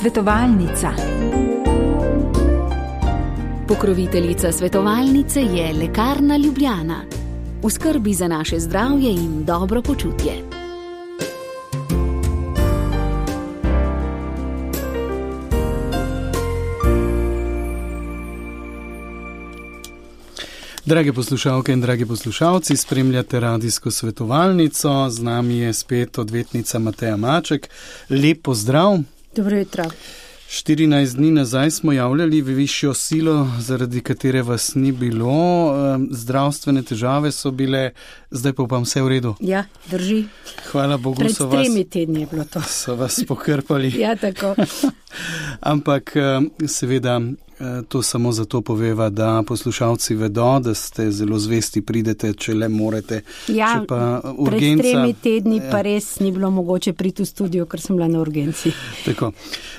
Svetovalnica. Pokroviteljica svetovalnice je Lekarna Ljubljana. V skrbi za naše zdravje in dobro počutje. Drage poslušalke in dragi poslušalci, spremljate radijsko svetovalnico. Z nami je spet odvetnica Mateja Maček. Lep pozdrav. Dobro jutro. 14 dni nazaj smo javljali v višjo silo, zaradi katere vas ni bilo. Zdravstvene težave so bile, zdaj pa upam vse v redu. Ja, drži. Hvala Bogu, pred 3 tedni je bilo to. So vas pokrpali. Ja, tako. Ampak seveda to samo zato poveva, da poslušalci vedo, da ste zelo zvesti, pridete, če le morete. Ja, če pa urgenca, pred 3 tedni pa res ni bilo mogoče priti v studio, ker sem bila na urgenci. Tako.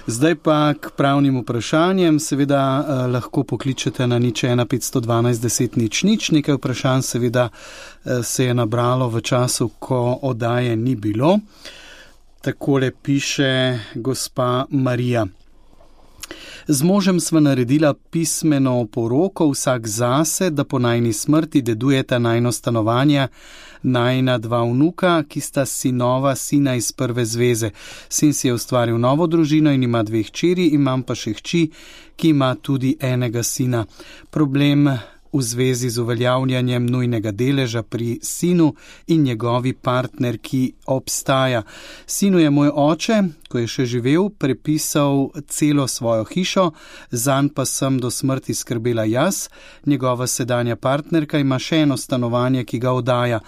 Zdaj pa k pravnim vprašanjem. Seveda lahko pokličete na 01 512 10 00. Nekaj vprašanj seveda se je nabralo v času, ko oddaje ni bilo. Takole piše gospa Marija. Z možem sva naredila pismeno poroko, vsak zase, da po najni smrti dedujeta najno stanovanje, najna 2 vnuka, ki sta sinova sina iz prve zveze. Sin si je ustvaril novo družino in ima 2 hčeri, imam pa še hči, ki ima tudi enega sina. Problem v zvezi z uveljavljanjem nujnega deleža pri sinu in njegovi partnerki obstaja. Sinu je moj oče, ko je še živel, prepisal celo svojo hišo, zanj pa sem do smrti skrbela jaz. Njegova sedanja partnerka ima še eno stanovanje, ki ga oddaja.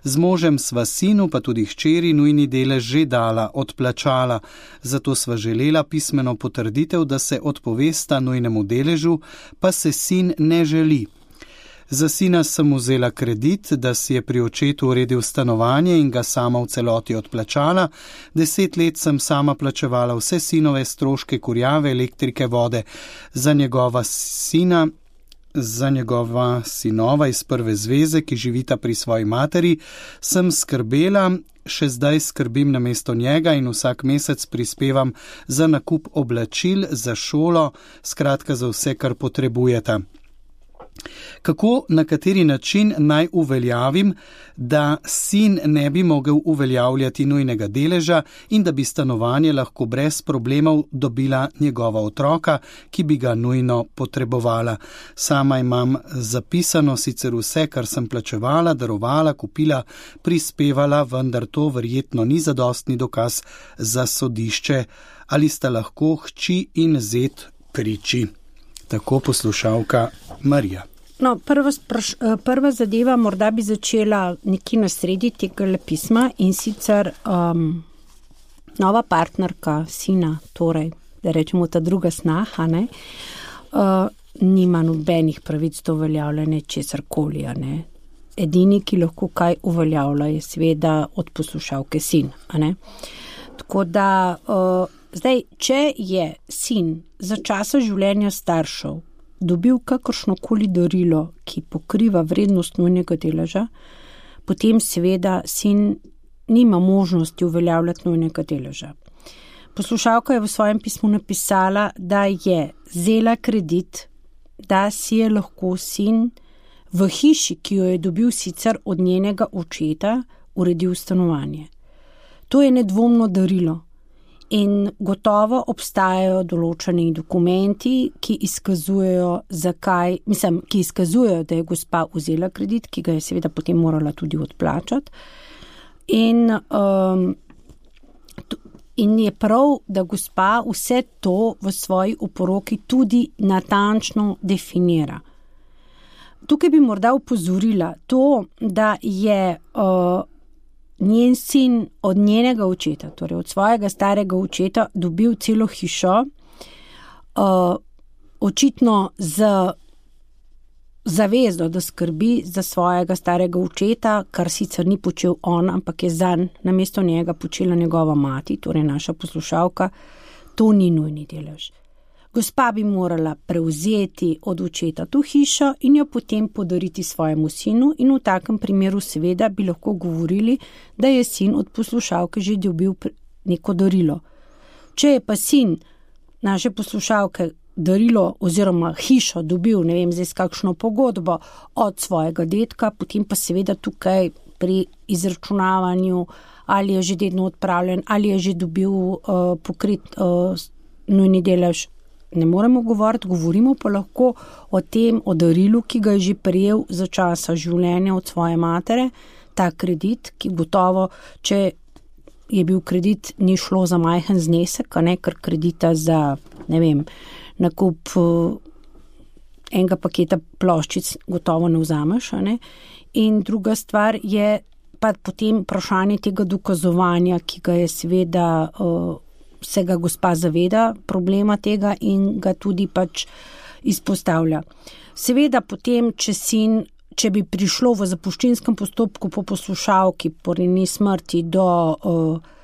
Z možem sva sinu, pa tudi hčeri, nujni delež že dala, odplačala. Zato sva želela pismeno potrditev, da se odpovesta nujnemu deležu, pa se sin ne želi. Za sina sem vzela kredit, da si je pri očetu uredil stanovanje in ga sama v celoti odplačala. 10 let sem sama plačevala vse sinove stroške, kurjave, elektrike, vode. Za njegova sinova iz prve zveze, ki živita pri svoji materi, sem skrbela, še zdaj skrbim namesto njega in vsak mesec prispevam za nakup oblačil, za šolo, skratka za vse, kar potrebujeta. Kako, na kateri način naj uveljavim, da sin ne bi mogel uveljavljati nujnega deleža in da bi stanovanje lahko brez problemov dobila njegova otroka, ki bi ga nujno potrebovala. Sama imam zapisano sicer vse, kar sem plačevala, darovala, kupila, prispevala, vendar to verjetno ni zadostni dokaz za sodišče. Ali sta lahko hči in zet priči? Tako poslušalka Marija. No, prva zadeva, morda bi začela nekje na sredi tega pisma in sicer nova partnerka sina, torej, da rečemo ta druga snaha, nima nobenih pravic do uveljavljanja česarkoli. Edini, ki lahko kaj uveljavlja, je seveda od poslušalke sin. Tako da, zdaj, če je sin za časa življenja staršev dobil kakršnokoli darilo, ki pokriva vrednost nujnega deleža, potem seveda sin nima možnosti uveljavljati nujnega deleža. Poslušalka je v svojem pismu napisala, da je vzela kredit, da si je lahko sin v hiši, ki jo je dobil sicer od njenega očeta, uredil stanovanje. To je nedvomno darilo. In gotovo obstajajo določeni dokumenti, ki izkazujejo, da je gospa vzela kredit, ki ga je seveda potem morala tudi odplačati. In je prav, da gospa vse to v svoji oporoki tudi natančno definira. Tukaj bi morda opozorila to, da je njen sin od njenega očeta, torej od svojega starega očeta, dobil celo hišo, očitno z zavezo, da skrbi za svojega starega očeta, kar sicer ni počel on, ampak je zanj namesto njega počela njegova mati, torej naša poslušalka. To ni nujni delež. Gospa bi morala prevzeti od očeta to hišo in jo potem podariti svojemu sinu in v takem primeru seveda bi lahko govorili, da je sin od poslušalke že dobil neko darilo. Če je pa sin naše poslušalke darilo oziroma hišo dobil, ne vem, zdaj s kakšno pogodbo od svojega dedka, potem pa seveda tukaj pri izračunavanju, ali je že dedno odpravljen, ali je že dobil pokrit nujni delež, ne moremo govoriti, govorimo pa lahko o tem, o darilu, ki ga je že prejel za časa življenja od svoje matere, ta kredit, ki gotovo, če je bil kredit, ni šlo za majhen znesek, a ne, ker kredita za, ne vem, nakup enega paketa ploščic gotovo ne vzameš, a ne. In druga stvar je pa potem vprašanje tega dokazovanja, ki ga je seveda se ga gospa zaveda problema tega in ga tudi pač izpostavlja. Seveda potem, če bi prišlo v zapuščinskem postopku po poslušalki po njeni smrti do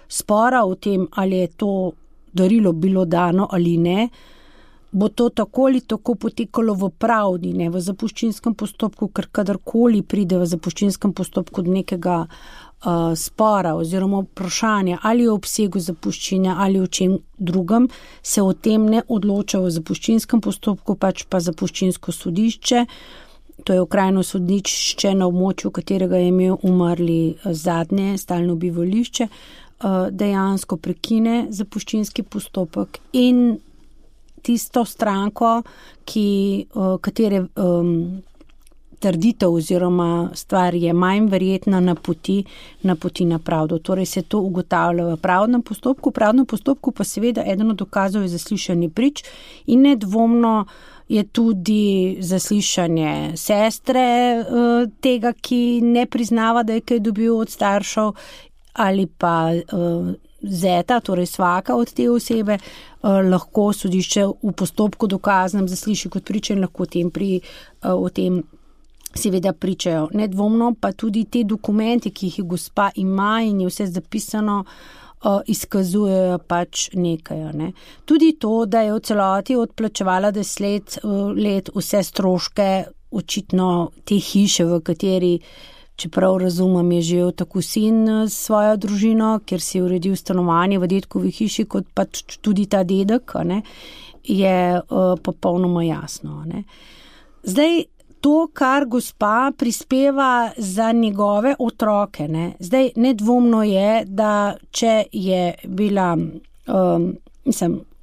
spora o tem, ali je to darilo bilo dano ali ne, bo to tako ali tako potekalo v pravdi, ne v zapuščinskem postopku, ker kadarkoli pride v zapuščinskem postopku do nekega spora oziroma vprašanja ali o obsegu zapuščinja ali o čem drugem, se o tem ne odloča v zapuščinskem postopku, pač pa zapuščinsko sodišče, to je okrajno sodnišče na območju, katerega je imel umrli zadnje stalno bivališče, dejansko prekine zapuščinski postopek in tisto stranko, katere trditev oziroma stvar je manj verjetna, napoti na pravdo. Torej se to ugotavlja v pravdnem postopku. V pravdnem postopku pa seveda eden od dokazov je zaslišanje prič in nedvomno je tudi zaslišanje sestre tega, ki ne priznava, da je kaj dobil od staršev, ali pa zeta, torej svaka od te osebe, lahko sodišče v postopku dokaznem zasliši kot priče in lahko o tem seveda pričajo. Nedvomno pa tudi te dokumenti, ki jih gospa ima in je vse zapisano, izkazujejo pač nekaj. Ne. Tudi to, da je v celoti odplačevala 10 let vse stroške, očitno te hiše, v kateri, čeprav razumem, je živel tako sin s svojo družino, ker si je uredil stanovanje v dedkovi hiši, kot pa tudi ta dedek, ne, je popolnoma jasno. Ne. Zdaj, to, kar gospa prispeva za njegove otroke, ne. Zdaj, nedvomno je, da če je bila,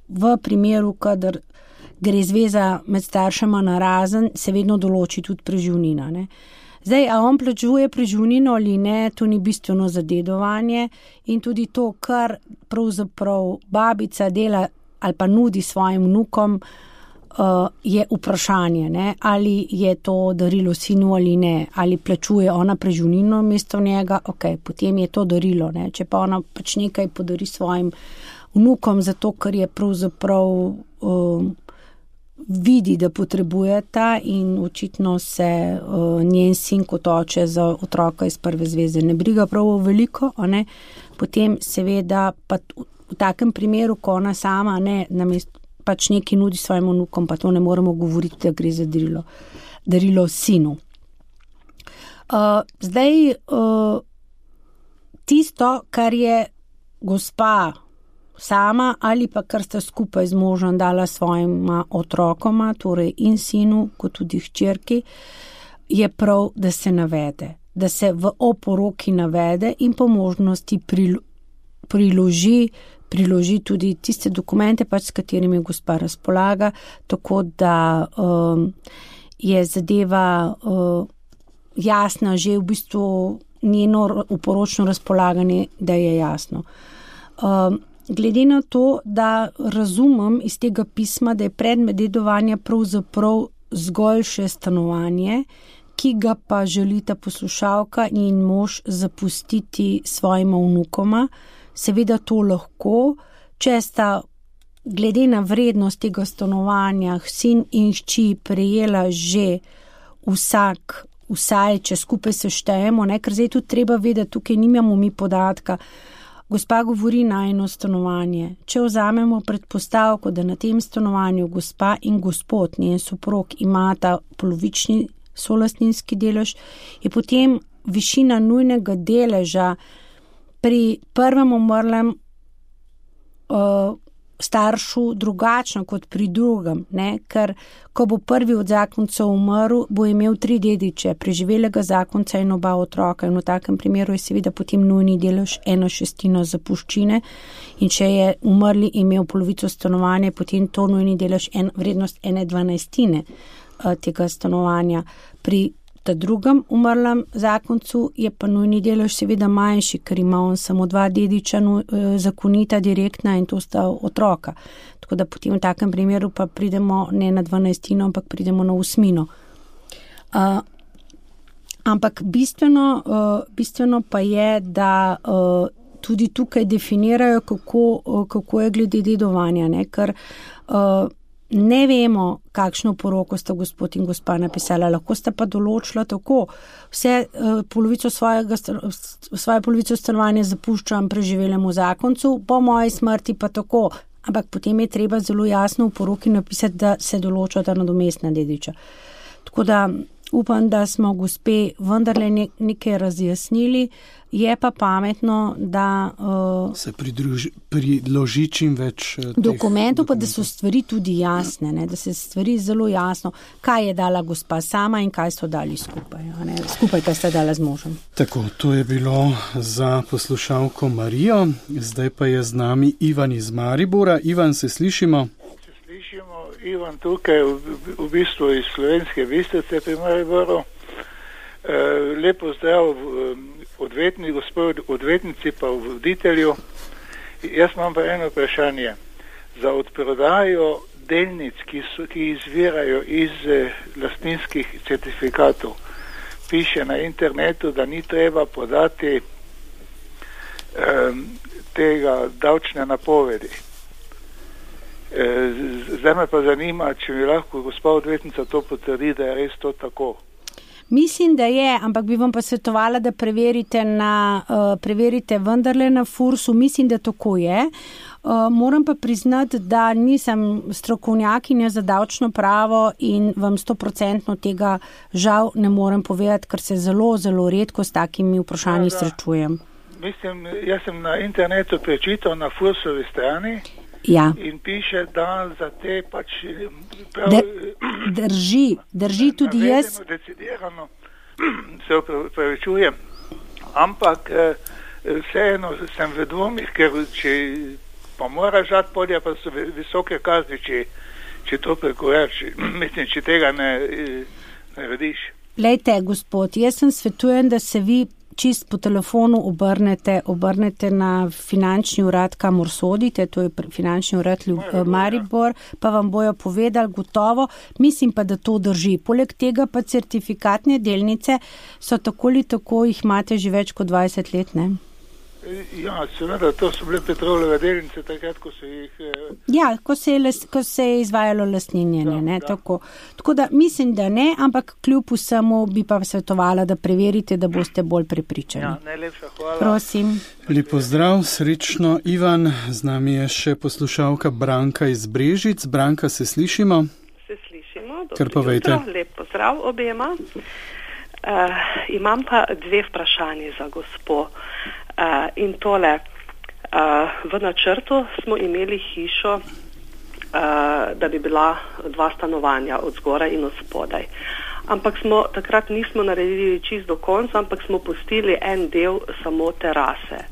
v primeru, kadar gre zveza med staršema narazen, se vedno določi tudi preživnina, ne. Zdaj, a on plačuje preživnino ali ne, to ni bistveno za dedovanje in tudi to, kar pravzaprav babica dela ali pa nudi svojim vnukom, je vprašanje, ne? Ali je to darilo sinu ali ne, ali plačuje ona preživnino mesto njega, ok, potem je to darilo, ne? Če pa ona pač nekaj podari svojim vnukom, zato ker je pravzaprav vidi, da potrebujeta in očitno se njen sin kot oče za otroka iz prve zveze ne briga prav veliko, ne? Potem seveda pa v takem primeru, ko ona sama ne namesto pač nekaj nudi svojim vnukom, pa to ne moremo govoriti, da gre za darilo sinu. Zdaj, tisto, kar je gospa sama ali pa kar sta skupaj z možem dala svojima otrokoma, torej in sinu, kot tudi hčerki, je prav, da se navede, da se v oporoki navede in po možnosti priloži tudi tiste dokumente, pač s katerimi gospa razpolaga, tako da je zadeva jasna, že v bistvu njeno oporočno razpolaganje, da je jasno. Glede na to, da razumem iz tega pisma, da je predmet dedovanja pravzaprav zgolj še stanovanje, ki ga pa želita poslušalka in mož zapustiti svojima vnukoma, seveda to lahko, če sta glede na vrednost tega stanovanja sin in hči prejela že vsaj, če skupaj seštejemo, ne, ker zdaj tudi treba vedeti, tukaj nimamo mi podatka. Gospa govori na eno stanovanje. Če vzamemo predpostavko, da na tem stanovanju gospa in gospod, njen soprog, imata polovični solastninski delež, je potem višina nujnega deleža pri prvem umrlem staršu drugačno kot pri drugem, ne? Ker ko bo prvi od zakoncev umrl, bo imel 3 dediče, preživelega zakonca in 2 otroka in v takem primeru je seveda potem nujni delež 1/6 zapuščine in če je umrli imel polovico stanovanja, potem to nujni delež vrednost 1/12 tega stanovanja. Pri drugem umrlem zakoncu je pa nujni delež seveda manjši, ker ima on samo 2 dediča zakonita, direktna in to sta otroka. Tako da potem v takem primeru pa pridemo ne na 12, ampak pridemo na 8. Ampak bistveno pa je, da tudi tukaj definirajo, kako je glede dedovanja, ne? Ker ne vemo, kakšno poroko sta gospod in gospa napisala, lahko sta pa določila tako, svoje polovico stanovanja zapuščam preživelemu zakoncu, po moji smrti pa tako, ampak potem je treba zelo jasno v poroki napisati, da se določata nadomestna dediča. Tako da upam, da smo gospe vendarle nekaj razjasnili, je pa pametno, da se priloži čim več dokumentov, pa da so stvari tudi jasne, ne? Da se stvari zelo jasno, kaj je dala gospa sama in kaj so dali skupaj, ne? Skupaj, kaj sta dala z možem. Tako, to je bilo za poslušalko Marijo, zdaj pa je z nami Ivan iz Maribora. Ivan, se slišimo? Ivan tukaj, v bistvu iz Slovenske Bistrice pri Mariboru. Lepo zdrav gospod odvetnici pa voditelju. Jaz imam pa eno vprašanje. Za odprodajo delnic, ki izvirajo iz lastninskih certifikatov, piše na internetu, da ni treba podati tega davčne napovedi. Zdaj me pa zanima, če mi lahko gospa odvetnica to potrdi, da je res to tako. Mislim, da je, ampak bi vam pa svetovala, da preverite vendarle na FURS-u. Mislim, da tako je. Moram pa priznati, da nisem strokovnjakinja za davčno pravo in vam 100% tega žal ne morem povedati, ker se zelo, zelo redko s takimi vprašanji srečujem. Mislim, jaz sem na internetu prečital na FURS-ovi strani. Ja. In piše, da za te pač drži tudi jaz. Decidirano, se upravičujem, ampak vseeno sem v dvomih, ker če pa moraš žati podja, pa so visoke kazni, če to prekorač, mislim, če tega ne rediš. Lejte, gospod, jaz sem svetujem, da se vi čist po telefonu obrnete na finančni urad, kamor sodite, to je finančni urad Maribor, pa vam bojo povedali gotovo. Mislim pa, da to drži. Poleg tega pa certifikatne delnice so tako ali tako, jih imate že več kot 20 let, ne? Ja, seveda, to so bile Petrolove delnice, takrat, ko so jih... Ja, ko se je izvajalo lastninjenje, ne, tako. Tako da mislim, da ne, ampak kljub vsemu bi pa svetovala, da preverite, da boste bolj prepričani. Ja, najlepša hvala. Prosim. Lep pozdrav, srečno, Ivan. Z nami je še poslušalka Branka iz Brežic. Branka, se slišimo? Se slišimo. Kar povejte. Lep pozdrav obema. Imam pa 2 vprašanje za gospo. In tole, v načrtu smo imeli hišo, da bi bila 2 stanovanja od zgoraj in od spodaj. Ampak takrat nismo naredili čist do konca, ampak smo pustili en del samo terase.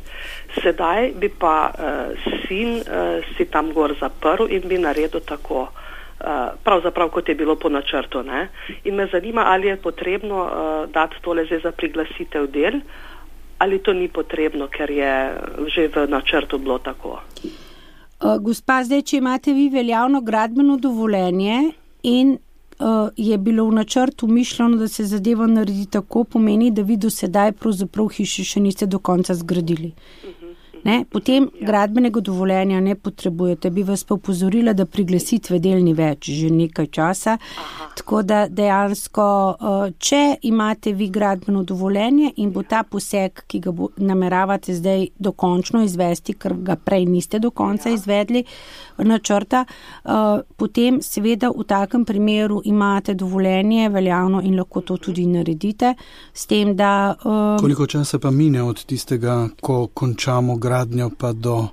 Sedaj bi pa sin si tam gor zaprl in bi naredil tako, pravzaprav kot je bilo po načrtu, ne? In me zanima, ali je potrebno dati tole zdaj za priglasitev del, ali to ni potrebno, ker je že v načrtu bilo tako. Gospa, zdaj, če imate vi veljavno gradbeno dovoljenje in je bilo v načrtu mišljeno, da se zadeva naredi tako, pomeni, da vi do sedaj pravzaprav hiše še niste do konca zgradili. Ne? Potem gradbenega dovoljenja ne potrebujete. Bi vas pa opozorila, da priglasitve del ni več že nekaj časa. Tako da dejansko, če imate vi gradbeno dovoljenje in bo ta poseg, ki ga nameravate zdaj dokončno izvesti, ker ga prej niste do konca izvedli načrta, potem seveda v takem primeru imate dovoljenje veljavno in lahko to tudi naredite. S tem, da... Koliko časa pa mine od tistega, ko končamo gradnjo pa do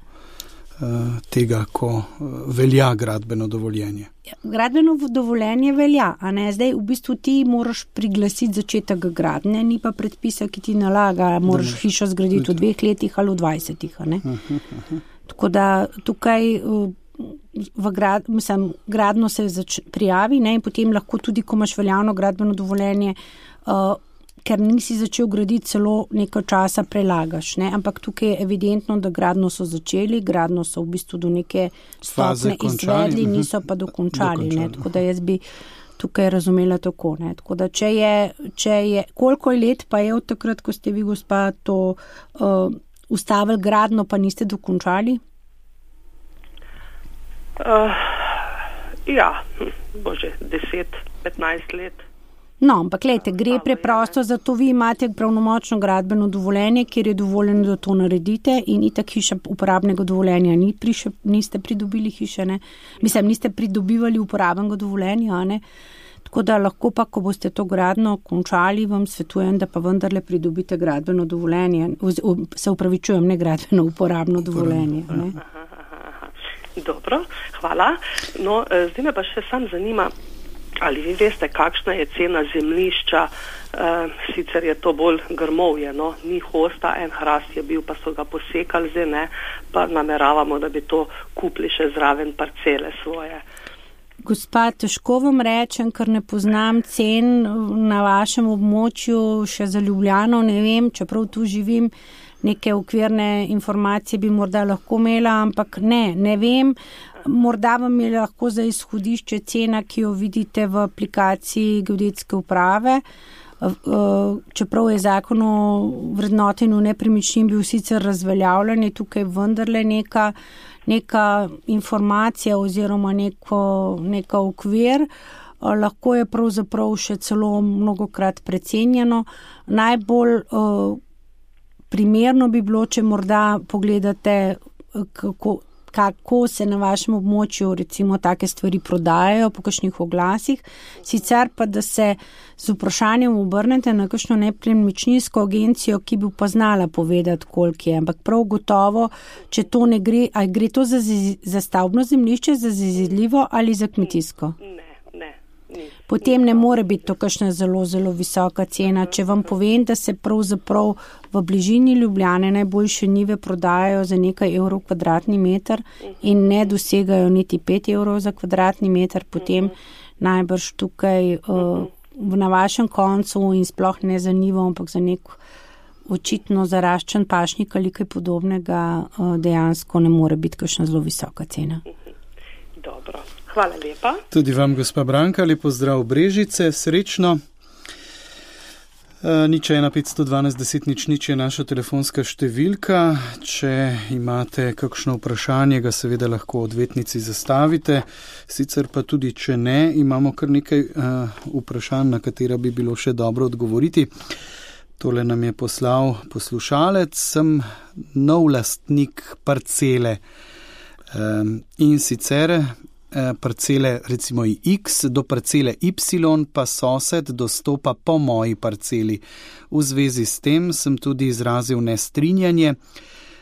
tega, ko velja gradbeno dovoljenje? Gradbeno dovoljenje velja, a ne? Zdaj v bistvu ti moraš priglasiti začetek gradnje, ni pa predpisa, ki ti nalaga, moraš hišo zgraditi v 2 letih ali v 20, a ne? Tako da tukaj gradno se prijavi, ne? In potem lahko tudi, ko imaš veljavno gradbeno dovoljenje, ker nisi začel graditi, celo nekaj časa prelagaš, ne? Ampak tukaj je evidentno, da gradno so začeli, gradno so v bistvu do neke stopne izvedli, niso pa dokončali, ne? Tako da jaz bi tukaj razumela tako, ne? Tako da če je, koliko let pa je od takrat, ko ste vi, gospa, to ustavili gradno, pa niste dokončali? Ja, bože, 10-15 let. No, ampak gledajte, gre preprosto, zato vi imate pravnomočno gradbeno dovoljenje, kjer je dovoljeno, da to naredite in itak hiša uporabnega dovoljenja niste pridobili hiše, ne? Mislim, niste pridobivali uporabnega dovoljenja, ne? Tako da lahko pa, ko boste to gradno končali, vam svetujem, da pa vendarle pridobite gradbeno dovoljenje, se upravičujem, ne gradbeno, uporabno dovoljenje, ne? Dobro, hvala. No, zdaj me pa še sam zanima, ali vi veste, kakšna je cena zemljišča, sicer je to bolj grmovje, no, ni hosta, en hrast je bil, pa so ga posekali, zdaj ne, pa nameravamo, da bi to kupili še zraven parcele svoje. Gospa, težko vam rečem, ker ne poznam cen na vašem območju, še za Ljubljano, ne vem, čeprav tu živim, neke okvirne informacije bi morda lahko imela, ampak ne vem. Morda vam je lahko za izhodišče cena, ki jo vidite v aplikaciji Geodetske uprave, čeprav je zakon o vrednotenju nepremičnin bil sicer razveljavljen, je tukaj vendarle neka informacija oziroma neka okvir, lahko je pravzaprav še celo mnogokrat precenjeno. Najbolj primerno bi bilo, če morda pogledate, kako se na vašem območju recimo take stvari prodajajo po kakšnih oglasih, sicer pa, da se z vprašanjem obrnete na kakšno nepremičninsko agencijo, ki bi pa znala povedati, koliko je, ampak prav gotovo, če to ne gre, ali gre to za stavbno zemljišče, za zazidljivo ali za kmetijsko? Potem ne more biti to kakšna zelo, zelo visoka cena. Če vam povem, da se pravzaprav v bližini Ljubljane najboljše njive prodajajo za nekaj evrov kvadratni meter in ne dosegajo niti 5 evrov za kvadratni meter, potem najbrž tukaj na vašem koncu in sploh ne za njivo, ampak za nek očitno zaraščen pašnik ali kaj podobnega dejansko ne more biti kakšna zelo visoka cena. Dobro. Hvala lepa. Tudi vam, gospa Branka, lepo zdrav Brežice, srečno. 015121000 je naša telefonska številka. Če imate kakšno vprašanje, ga seveda lahko odvetnici zastavite. Sicer pa tudi, če ne, imamo kar nekaj vprašanj, na katera bi bilo še dobro odgovoriti. Tole nam je poslal poslušalec. Sem nov lastnik parcele in sicer parcele recimo X do parcele Y pa sosed dostopa po moji parceli. V zvezi s tem sem tudi izrazil nestrinjanje.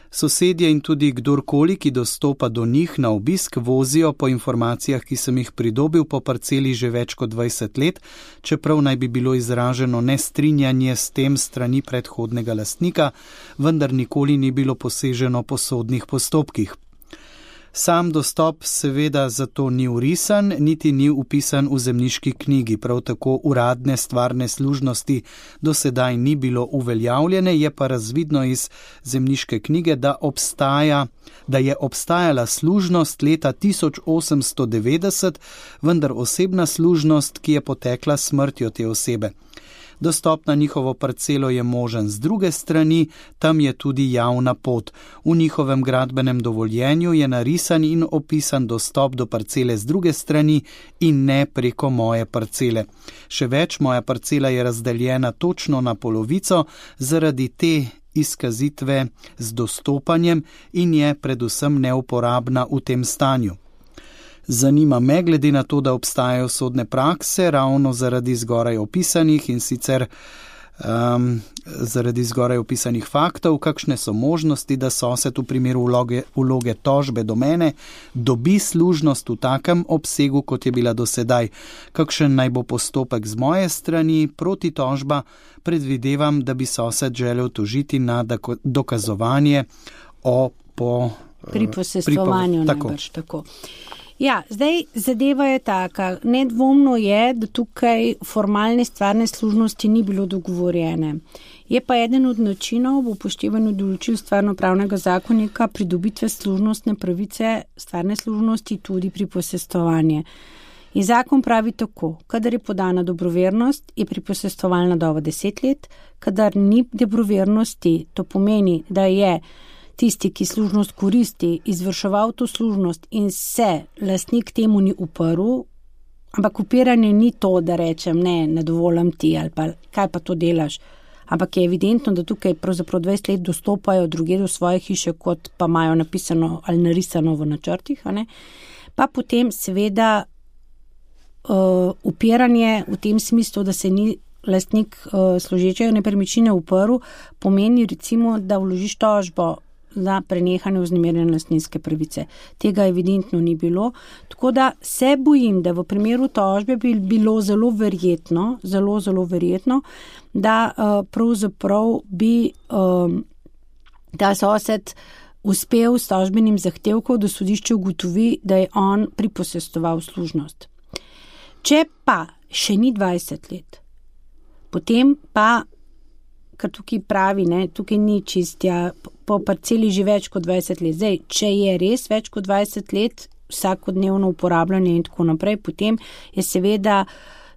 Sosedje in tudi kdorkoli, ki dostopa do njih na obisk, vozijo po informacijah, ki sem jih pridobil po parceli že več kot 20 let, čeprav naj bi bilo izraženo nestrinjanje s tem strani predhodnega lastnika, vendar nikoli ni bilo poseženo po sodnih postopkih. Sam dostop seveda zato ni vrisan, niti ni upisan v zemljiški knjigi, prav tako uradne stvarne služnosti do sedaj ni bilo uveljavljene, je pa razvidno iz zemljiške knjige, da je obstajala služnost leta 1890, vendar osebna služnost, ki je potekla s smrtjo te osebe. Dostop na njihovo parcelo je možen z druge strani, tam je tudi javna pot. V njihovem gradbenem dovoljenju je narisan in opisan dostop do parcele z druge strani in ne preko moje parcele. Še več, moja parcela je razdeljena točno na polovico zaradi te izkazitve z dostopanjem in je predvsem neuporabna v tem stanju. Zanima me, glede na to, da obstajajo sodne prakse ravno zaradi zgoraj opisanih in sicer zaradi zgoraj opisanih faktov, kakšne so možnosti, da sosed v primeru vloge tožbe do mene dobi služnost v takem obsegu, kot je bila do sedaj. Kakšen naj bo postopek z moje strani proti tožba? Predvidevam, da bi sosed želel tožiti na dokazovanje pri posestvovanju najbrž tako. Ja, zdaj zadeva je taka. Nedvomno je, da tukaj formalne stvarne služnosti ni bilo dogovorjene. Je pa eden od načinov v upoštevanju določil stvarno-pravnega zakonika pridobitve služnostne pravice stvarne služnosti tudi pri posestvovanju. In zakon pravi tako, kadar je podana dobrovernost, je pri posestvovalna doba 10 let, kadar ni dobrovernosti, to pomeni, da je tisti, ki služnost koristi, izvrševal to služnost in se lastnik temu ni uprl, ampak upiranje ni to, da rečem, ne dovolim ti ali pa kaj pa to delaš, ampak je evidentno, da tukaj pravzaprav 20 let dostopajo druge do svoje hiše, kot pa imajo napisano ali narisano v načrtih, pa potem seveda upiranje v tem smislu, da se ni lastnik služečega nepremičnine uprl, pomeni recimo, da vložiš tožbo za prenehanje vznemirjene lastninske pravice. Tega evidentno ni bilo. Tako da se bojim, da v primeru tožbe bi bilo zelo verjetno, da pravzaprav bi ta sosed uspel s tožbenim zahtevkom, da sodišče ugotovi, da je on priposestoval služnost. Če pa še ni 20 let, potem pa, kar tukaj pravi, tukaj ni čistja, po parceli že več kot 20 let. Zdaj, če je res več kot 20 let vsakodnevno uporabljanje in tako naprej, potem je seveda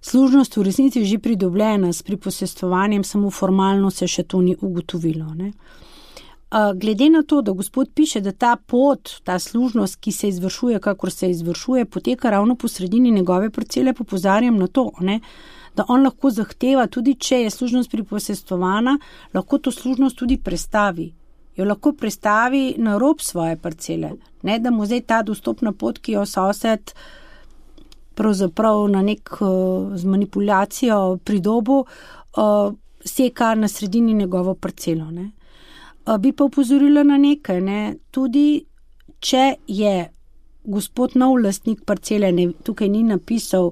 služnost v resnici že pridobljena s priposestvovanjem, samo formalno se še to ni ugotovilo. Glede na to, da gospod piše, da ta pot, ta služnost, ki se izvršuje, kakor se izvršuje, poteka ravno po sredini njegove parcele, popozarjam na to, da on lahko zahteva, tudi če je služnost priposestvovana, lahko to služnost tudi prestavi. Jo lahko prestavi na rob svoje parcele. Ne, da mu zdaj ta dostopna pot, ki jo sosed pravzaprav na z manipulacijo pridobu, seka na sredini njegovo parcelo. Bi pa upozorila na nekaj, tudi če je gospod nov lastnik parcele, tukaj ni napisal,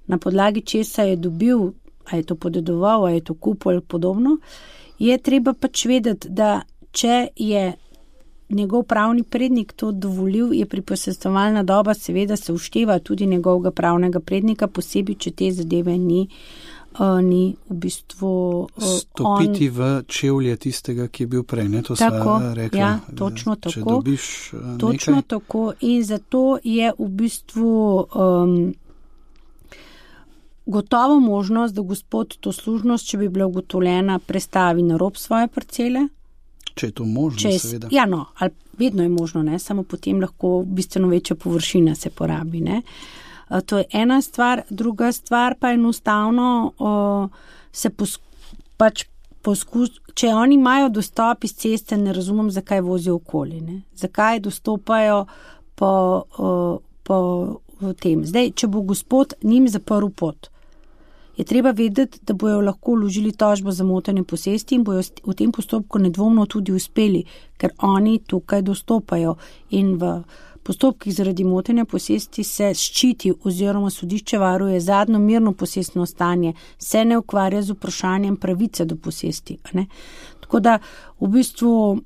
na podlagi česa je dobil, a je to podedoval, a je to kupil ali podobno, je treba pač vedeti, da če je njegov pravni prednik to dovolil, je priposestvovalna doba, seveda se ušteva tudi njegovega pravnega prednika, posebej, če te zadeve ni v bistvu stopiti v čevlje tistega, ki je bil prej, to sva rekla. Ja, točno tako. Če dobiš točno nekaj. Tako in zato je v bistvu gotovo možnost, da gospod to služnost, če bi bila ugotovljena, prestavi na rob svoje parcele. Če je to možno, seveda. Ja, ali vedno je možno, pač potem lahko bistveno večja površina se porabi, To je ena stvar, druga stvar pa enostavno se če oni imajo dostop iz ceste, ne razumem, zakaj vozijo okoli, zakaj dostopajo po tem. Zdaj, če bo gospod njim zaprl pot, je treba vedeti, da bojo lahko vložili tožbo za motenje posesti in bojo v tem postopku nedvomno tudi uspeli, ker oni tukaj dostopajo in v postopkih zaradi motenja posesti se ščiti oziroma sodišče varuje zadnjo mirno posestno stanje, se ne ukvarja z vprašanjem pravice do posesti. Tako da v bistvu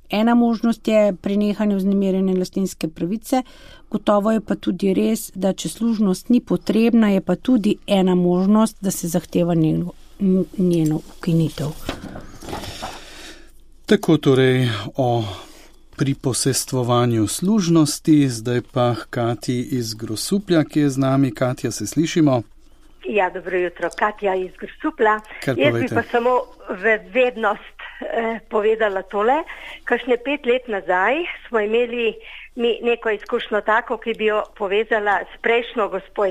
ena možnost je prenehanje vznemirjene lastninske pravice, gotovo je pa tudi res, da če služnost ni potrebna, je pa tudi ena možnost, da se zahteva njeno ukinitev. Tako torej o priposestvovanju služnosti, zdaj pa Katji iz Grosuplja, ki je z nami. Katja, se slišimo? Ja, dobro jutro, Katja iz Grosuplja. Jaz bi pa samo v vednost povedala tole. Kakšne 5 let nazaj smo imeli neko izkušnjo tako, ki bi jo povezala s prejšnjo gospo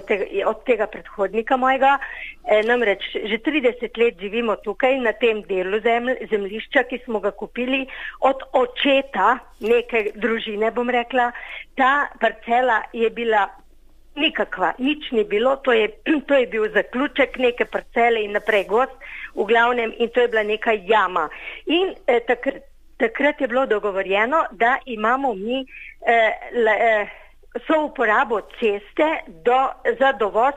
od tega predhodnika mojega. Namreč že 30 let živimo tukaj na tem delu zemljišča, ki smo ga kupili od očeta neke družine, bom rekla. Ta parcela je bila nikakva, nič ni bilo, to je bil zaključek neke parcele in naprej gost, v glavnem, in to je bila neka jama. In takrat je bilo dogovorjeno, da imamo mi souporabo ceste za dovoz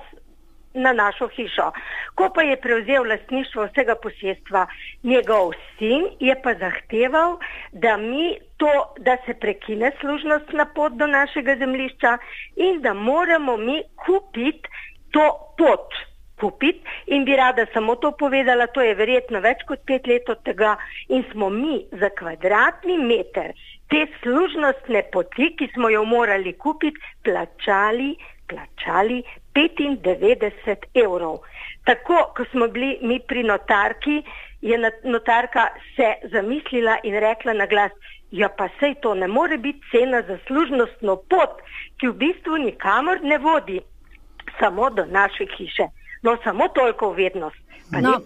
na našo hišo. Ko pa je prevzel lastništvo vsega posestva njegov sin, je pa zahteval, da se prekine služnostna pot do našega zemljišča in da moramo mi kupiti to pot. In bi rada samo to povedala, to je verjetno več kot 5 let od tega in smo mi za kvadratni meter te služnostne poti, ki smo jo morali kupiti, plačali 95 €. Tako, ko smo bili mi pri notarki, je notarka se zamislila in rekla na glas, ja pa sej to ne more biti cena za služnostno pot, ki v bistvu nikamor ne vodi, samo do naše hiše. No, samo toliko vednost.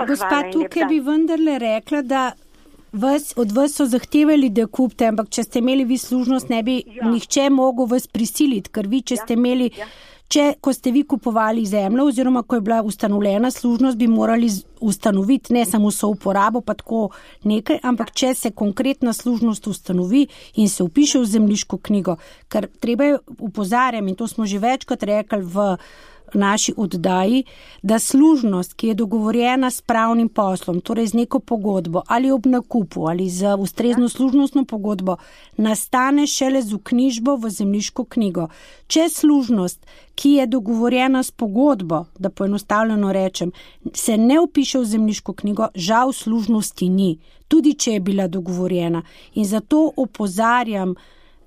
Gospa, tukaj bi vendarle rekla, da od vas so zahtevali, da kupite, ampak če ste imeli vi služnost, ne bi nihče mogel vas prisiliti, ker vi, če ste imeli, ko ste vi kupovali zemljo oziroma ko je bila ustanovljena služnost, bi morali ustanoviti ne samo souporabo, pa tako nekaj, ampak če se konkretna služnost ustanovi in se upiše v zemljiško knjigo, ker treba je opozarjam, in to smo že večkrat rekli v naši oddaji, da služnost, ki je dogovorjena s pravnim poslom, torej z neko pogodbo ali ob nakupu ali z ustrezno služnostno pogodbo, nastane šele z vknjižbo v zemljiško knjigo. Če služnost, ki je dogovorjena s pogodbo, da poenostavljeno rečem, se ne upiše v zemljiško knjigo, žal služnosti ni, tudi če je bila dogovorjena. In zato opozarjam,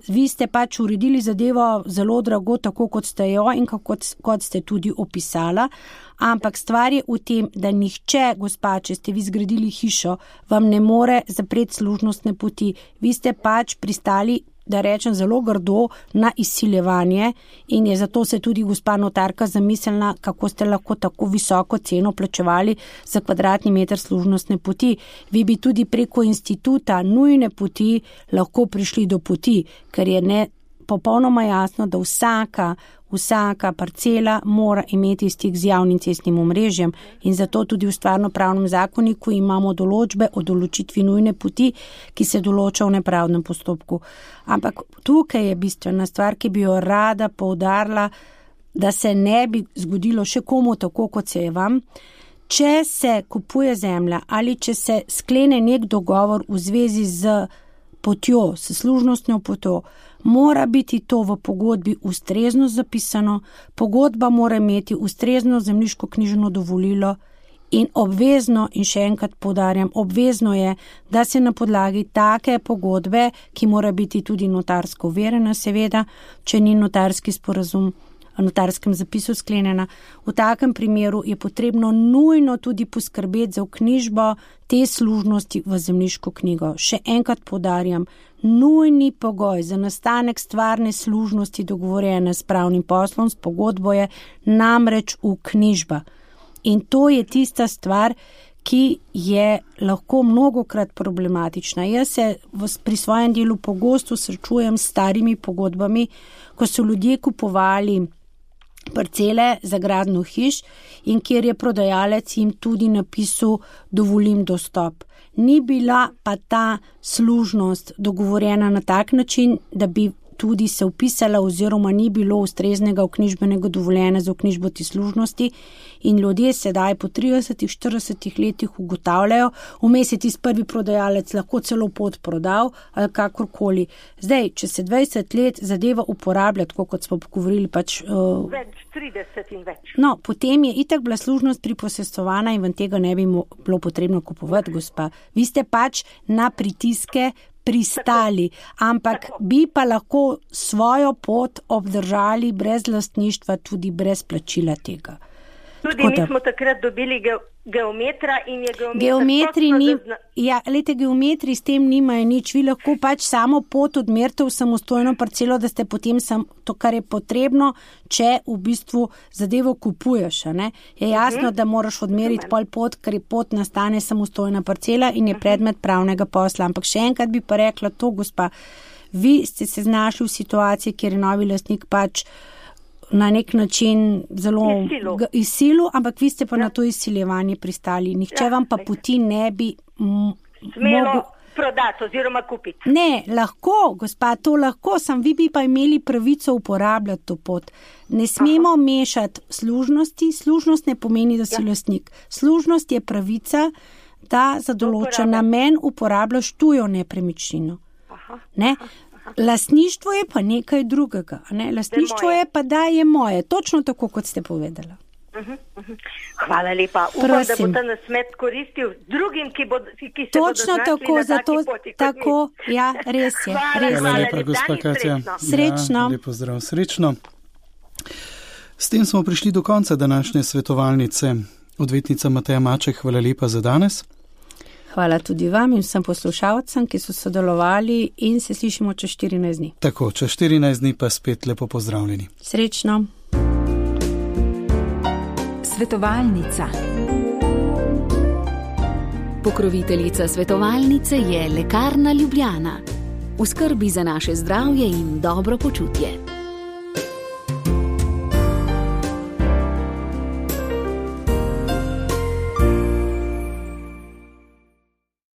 vi ste pač uredili zadevo zelo drago, tako kot ste jo in kot ste tudi opisala, ampak stvar je v tem, da nihče, gospa, če ste vi zgradili hišo, vam ne more zapreti služnostne poti. Vi ste pač pristali, da rečem zelo grdo, na izsiljevanje in je zato se tudi gospa notarka zamislila, kako ste lahko tako visoko ceno plačevali za kvadratni meter služnostne poti. Vi bi tudi preko instituta nujne poti lahko prišli do poti, ker je popolnoma jasno, da vsaka parcela mora imeti stik z javnim cestnim omrežjem in zato tudi v stvarnopravnem zakoniku imamo določbe o določitvi nujne poti, ki se določa v nepravdnem postopku. Ampak tukaj je bistvena stvar, ki bi jo rada poudarila, da se ne bi zgodilo še komu tako, kot se je vam. Če se kupuje zemlja ali če se sklene nek dogovor v zvezi z potjo, s služnostno potjo, mora biti to v pogodbi ustrezno zapisano, pogodba mora imeti ustrezno zemljiško knjižno dovolilo in obvezno, in še enkrat poudarjam, obvezno je, da se na podlagi take pogodbe, ki mora biti tudi notarsko overjena, seveda, če ni notarski sporazum v notarskem zapisu sklenjena. V takem primeru je potrebno nujno tudi poskrbeti za vknjižbo te služnosti v zemljiško knjigo. Še enkrat poudarjam, nujni pogoj za nastanek stvarne služnosti dogovorjene s pravnim poslom, s pogodbo je namreč vknjižba. In to je tista stvar, ki je lahko mnogokrat problematična. Jaz se pri svojem delu pogosto srečujem s starimi pogodbami, ko so ljudje kupovali parcele za gradnjo hiš in kjer je prodajalec jim tudi napisal dovolim dostop. Ni bila pa ta služnost dogovorjena na tak način, da bi tudi se upisala oziroma ni bilo ustreznega vknjižbenega dovoljenja za vknjižbo te služnosti in ljudje sedaj po 30-40 letih ugotavljajo, vmes je tisti prvi prodajalec lahko celo pot prodal ali kakorkoli. Zdaj, če se 20 let zadeva uporablja, tako kot smo pogovorili, pač... Več, 30 in več. No, potem je itak bila služnost priposestovana in vam tega ne bi bilo potrebno kupovati, gospa. Vi ste pač na pritiske pristali, ampak bi pa lahko svojo pot obdržali brez lastništva, tudi brez plačila tega. Tudi mi smo takrat dobili geometra in je geometri s tem nimajo nič. Vi lahko pač samo pot odmerite v samostojno parcelo, da ste potem to, kar je potrebno, če v bistvu zadevo kupuješ. Ne? Je jasno, da moraš odmeriti pol pot, ker je pot nastane samostojna parcela in je predmet pravnega posla. Ampak še enkrat bi pa rekla to, gospa, vi ste se znašli v situaciji, kjer je novi lastnik pač na nek način zelo izsilil, ampak vi ste pa na to izsiljevanje pristali. Nihče vam pa poti ne bi smelo prodati oziroma kupiti. Ne, lahko, gospa, to lahko, sam vi bi pa imeli pravico uporabljati to pot. Ne smemo mešati služnosti. Služnost ne pomeni, da si lastnik. Služnost je pravica, da za določen namen uporabljaš tujo nepremičnino. Ne? Lastništvo je pa nekaj drugega. Ne? Lastništvo je pa, da je moje. Točno tako, kot ste povedala. Hvala lepa. Upam, da bo ta nasmet koristil drugim, ki se točno bodo tako, znašli na taki poti. Tako, ja, res je. Hvala lepa, gospa Katja. Srečno. Ja, lepo zdrav, srečno. S tem smo prišli do konca današnje svetovalnice. Odvetnica Mateja Maček, hvala lepa za danes. Hvala tudi vam in vsem poslušalcem, ki so sodelovali in se slišimo čez 14 dni. Tako, čez 14 dni pa spet lepo pozdravljeni. Srečno. Svetovalnica. Pokroviteljica svetovalnice je Lekarna Ljubljana. V skrbi za naše zdravje in dobro počutje.